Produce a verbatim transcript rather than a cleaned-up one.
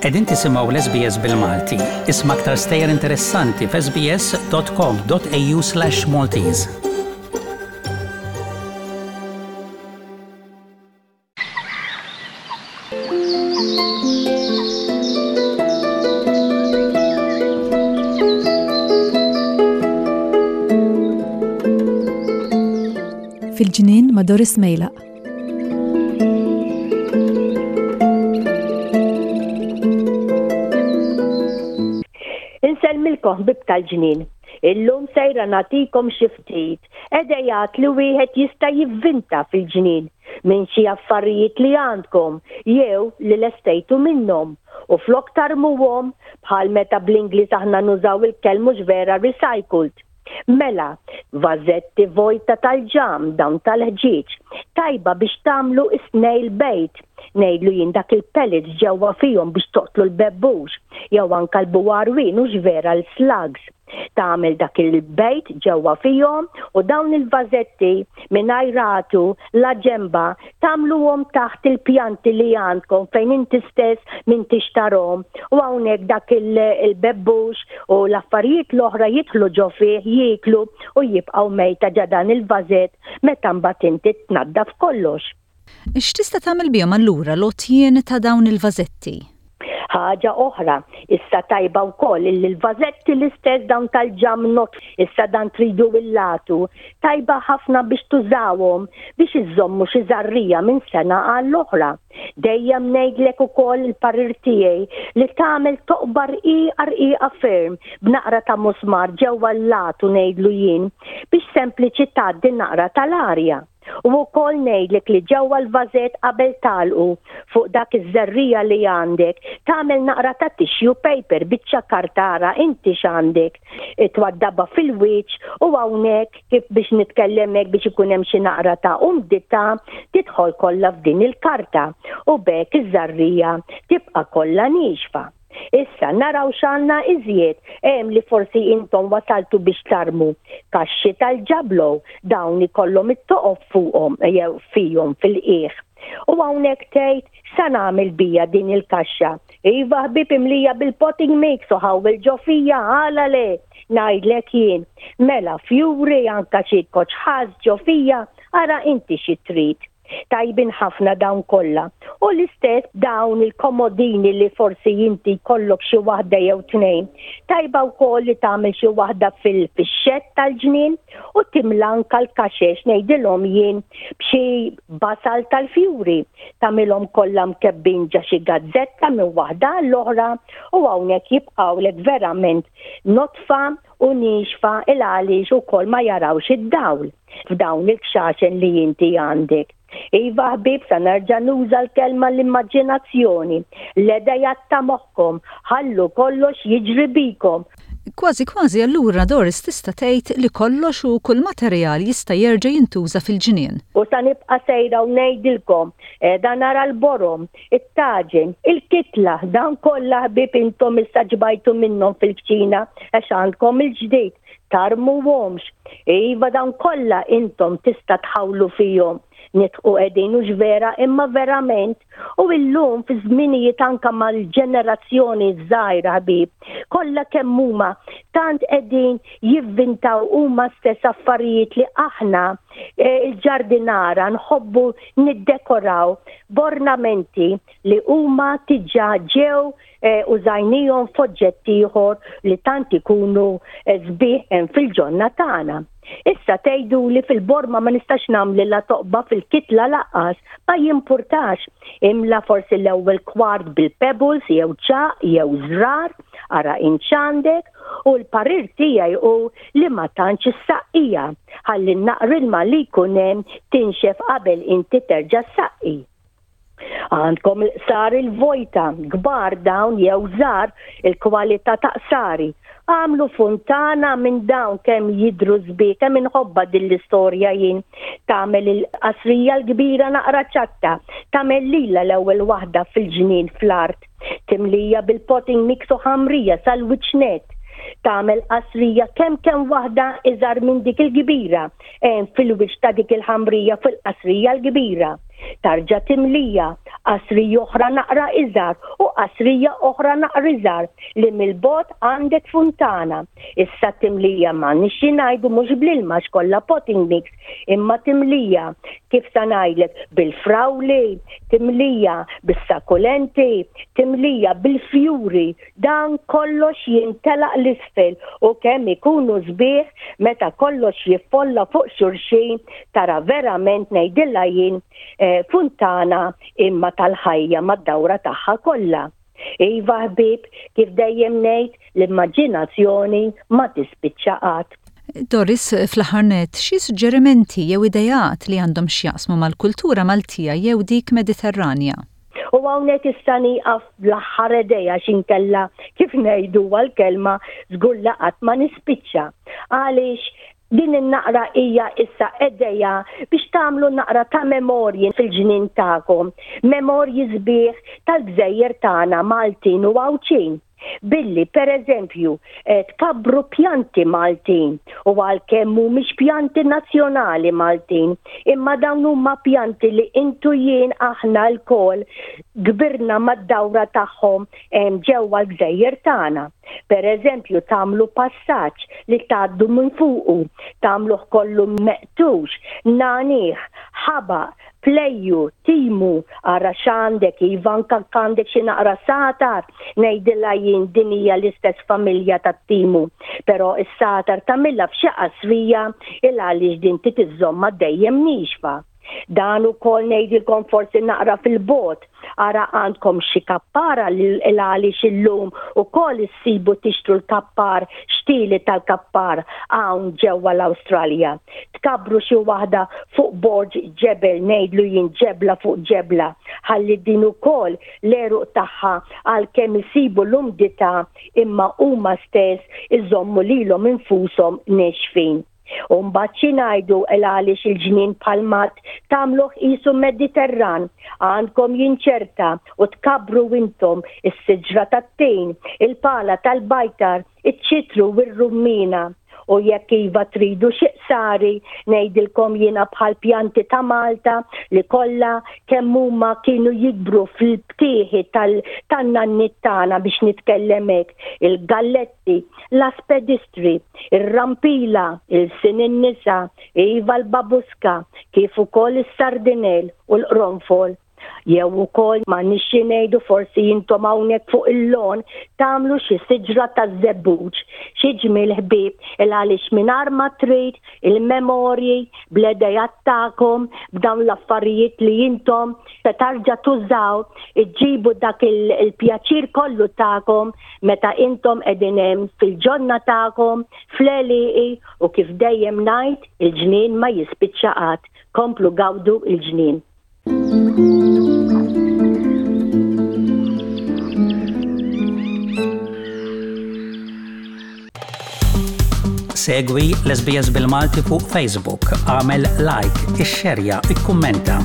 Qegħdin tisimgħu l-S B S bil-Malti. Isma' aktar stejjer interessanti f'S B S dot com dot A U slash Maltese. Fil-Ġnien ma' Doris Mejlaq. Insellmilkom, ħbieb tal-ġnien. Illum sejra nagħtikom xi ftit idejat li wieħed jista' jivvinta fil-ġnien minn xi affarijiet li għandkom jew li lestejtu minnhom u flok tarmuhom, bħal meta bl-Ingliż aħna nużaw il-kelma, mhux vera, recycled. Mela, vażetti vojta tal-ġam, dawn tal-ħġieġ, tajba biex tagħmlu snail bait. Ngħidlu jien dak il-pellets ġewwa fihom biex toqtlu l-bebbux, jew anka l-buwarwin, hux vera, l-slugs. Tagħmel dak il-bait ġewwa fihom u dawn il-vażetti mingħajr għatu la ġemba tagħmluhom taħt il-pjanti li għandkom fejn inti stess m'intix tarahom u hawnhekk dak il-bebbux u l-affarijiet l-oħra jidħlu ġo fih, jieklu u jibqgħu mejta ġo dan il-vażett meta mbagħad inti tnaddaf kollox. X'tista' tagħmel bihom allura l-għotjien ta' dawn il-vażetti? Ħaġa oħra, issa tajba wkoll illi l-vażetti l-istess dawn tal-ġam not, issa dan tridu il-latu, tajba ħafna biex tużawhom biex iżommu xi żarrija minn sena għall-oħra. Dejjem ngħidlek ukoll il-parir tiegħi li tagħmel toqba rqiqa rqiqa ferm b'naqra ta' musmar ġewwa l-latu, ngħidlu jien, biex sempliċi tgħaddi naqra tal-arja. U wkoll ngħidlek li ġewwa l-vażett, qabel tagħlqu, fuq dak iż-żerrija li għandek tagħmel naqra ta' tissue paper, biċċa karta, ara inti x'għandek. Twaddaba fil-wiċċ u hawnhekk, kif biex nitkellem hekk, biex ikun hemm xi naqra ta' umdità tidħol kollha f'din il-karta u b'hekk iż-żarrija tibqa' kollha niexfa. Issa naraw x'għandna iżjed. Hemm li forsi intom wasaltu biex tarmu kaxxi tal-ġablo, dawn ikollhom it-toqob fuqhom jew fihom fil-qiegħ. U hawnhekk tgħid, "Sa nagħmel bija din il-kaxxa?" Iva ħbib, imlija bil-potting mix u ħawwel ġo fija, għala le, ngħidlek jien. Mela fjuri, anka xi koċħas ġo fija, ara inti xi trid. Tajbin ħafna dawn kollha. U l-istess dawn il-komodini li forsi inti jkollok xi waħda jew tnejn. Tajba wkoll li tagħmel xi waħda fil-fixxett tal-ġnien u timla anka l-kaxex, ngħidilhom jien, b'xi basal tal-fjuri. Tagħmilhom kollha mkebbin ġo xi gazzetta minn waħda l-oħra u hawnhekk jibqgħulek verament nodfa u nixfa, il għaliex ukoll ma jarawx id-dawl f'dawn il-kxaxen li inti għandek. Iva ħbib, sa nerġa' nuża l-kelma l-immaġinazzjoni. L-idejat ta' moħħkom, ħallu kollox jiġri bikom. Kważi kważi allura, Doris, tista' tgħid li kollox u kull materjal jista' jerġa' jintuża fil-ġnien. U sa nibqa' sejra u ngħidilkom, dan nara l-borom, it-taġen, il-kitla, dan kollha ħbib intom issa xbajtu minnhom fil-kċina għax għandkom il-ġdid, tarmuhomx. Iva, dan kollha intom tista' tħawlu fihom. Nidħku qegħdin, hux vera, imma verament. U illum fi żminijiet anka mal-ġenerazzjoni żgħira ħbib, kollha kemm huma tant qegħdin jivvintaw huma stess affarijiet li aħna eh, il-ġardinara nħobbu niddekoraw b'ornamenti li huma diġà ġew eh, użajnihom f'oġġetti ieħor li tant ikunu eh, sbieħ hemm fil-ġonna tagħna. Issa tgħidu li fil-borma ma nistax nagħmel la toqba fil-kitla lanqas, ma jimpurtax. Imla forsi l-ewwel kwart bil-pebbles jew ċagħaq jew żrar, ara int x'għandek, u l-parir tiegħi hu li ma tantx issaqqija. Ħalli naqra ilma li jkun hemm tinxef qabel inti terġa' saqqi. Għandkom il-qsari l-vojta, kbar dawn jew żgħar, il-kwalità ta' qsari. Għamlu funtana minn dawn, kemm jidru sbieħ, kemm inħobbha din l-istorja jien. Tagħmel il-qasrija l-kbira naqra ċatta, tagħmel lila l-ewwel waħda fil-ġnien fl-art, timlija bil-potting mix u ħamrija sal-wiċċ nett. Tagħmel qasrija kemm kemm waħda iżgħar minn dik il-kbira, hemm fil-wiċċ ta' dik il-ħamrija fil-qasrija l-kbira. Tarġa' timlija Qasrija oħra naqra iżgħar u qasrija oħra naqra iżgħar li mill-bogħod għandek funtana. Issa timlija ma nixxi ngħidu mhux bl-ilma kollha potting mix, imma timlija kif sa ngħidlek bil-frawli, timlija bis-sakulenti, timlija bil-fjuri, dan kollox jintelaq l-isfel u kemm ikunu sbieħ meta kollox jiffolla fuq xulxin, tara verament ngħidilha jien eh, funtana imma tal-ħajja mad-dawra tagħha kollha. Iva ħbieb, kif dejjem ngħid, l-immaġinazzjoni ma tispiċċa qatt. Doris, fl-aħħar nett, xi suġġerimenti jew ideat li għandhom x'jaqsmu mal-kultura Maltija jew dik Mediterranja? U hawnhekk issa nieqaf l-aħħar idea x'inkella kif ngħidu għal-kelma żgur qatt ma nispiċċa. Għaliex din in-naqra hija issa idea biex tagħmlu naqra ta' memorji fil-ġnien tagħkom, memorji sbieħ tal-gżejjer tagħna Maltin u Għawdxin. Billi, per eżempju, eh, tkabbru pjanti Maltin u għalkemm mhumiex pjanti nazzjonali Maltin, imma dawn huma pjanti li intu jien aħna lkoll kbirna mad-dawra tagħhom ġewwa l-gżejjer tagħna. Per eżempju, tagħmlu passaġġ li tgħaddu minn fuqu, tagħmluh kollu meqtux, nagħniegħ, ħabaq, pleju, timu, ara x'għandek, iva anka għandek xi naqra satar, ngħidilha jien din hija l-istess familja tat-timu. Però is-satar tagħmilha f'xi qasrija il għaliex din titiżomma dejjem nixfa. Dan ukoll ngħidilkom forsi naqra fil-bogħod, ara għandkom xi kappara l għaliex illum ukoll issibu tixtru l-kappar, xtili tal-kappar hawn ġewwa l-Awstralja. Tkabbru xi waħda fuq borġ ġebel, ngħidlu jien ġebla fuq ġebla, ħalli din ukoll l-għeruq tagħha għalkemm isibu l-umdità imma huma stess iżommu lilhom infushom nexfin. U mbagħad xi ngħidu il għaliex il-ġnien palmat tagħmluh qisu Mediterran, għandkom jinċerta u tkabbru intom is-siġra tat-tin, il-pala tal-bajtar, iċ-ċitru u r-rummina. U jekk iva tridu xi qsari, ngħidilkom jiena bħal pjanti ta' Malta li kollha kemm huma kienu jikbru fil-btieħi tan-nanniet tagħna biex nitkellem hekk, il-galletti, l-aspedistri, ir-rampila, il-sin in-nisa, iva l-babuska, kif ukoll is-sardinell u l-qronfol. Jew ukoll ma nixxi ngħidu forsi intom hawnhekk fuq il-lon tagħmlu xi siġra taż-żebbuġ, xi ġmiel ħbieb il għaliex mingħajr ma trid il-memorji bl-idejat tagħkom b'dawn l-affarijiet li intom se tarġa' tużaw, iġġibu dak il-pjaċir kollu tagħkom meta intom qegħdin hemm fil-ġonna tagħkom, fl-għelieqi u kif dejjem ngħid il-ġnien ma jispiċċa qatt. Komplu gawdu il-ġnien. Segwi l-S B S bil-Malti fuq Facebook, għamel like, ixxerja, ikkummenta.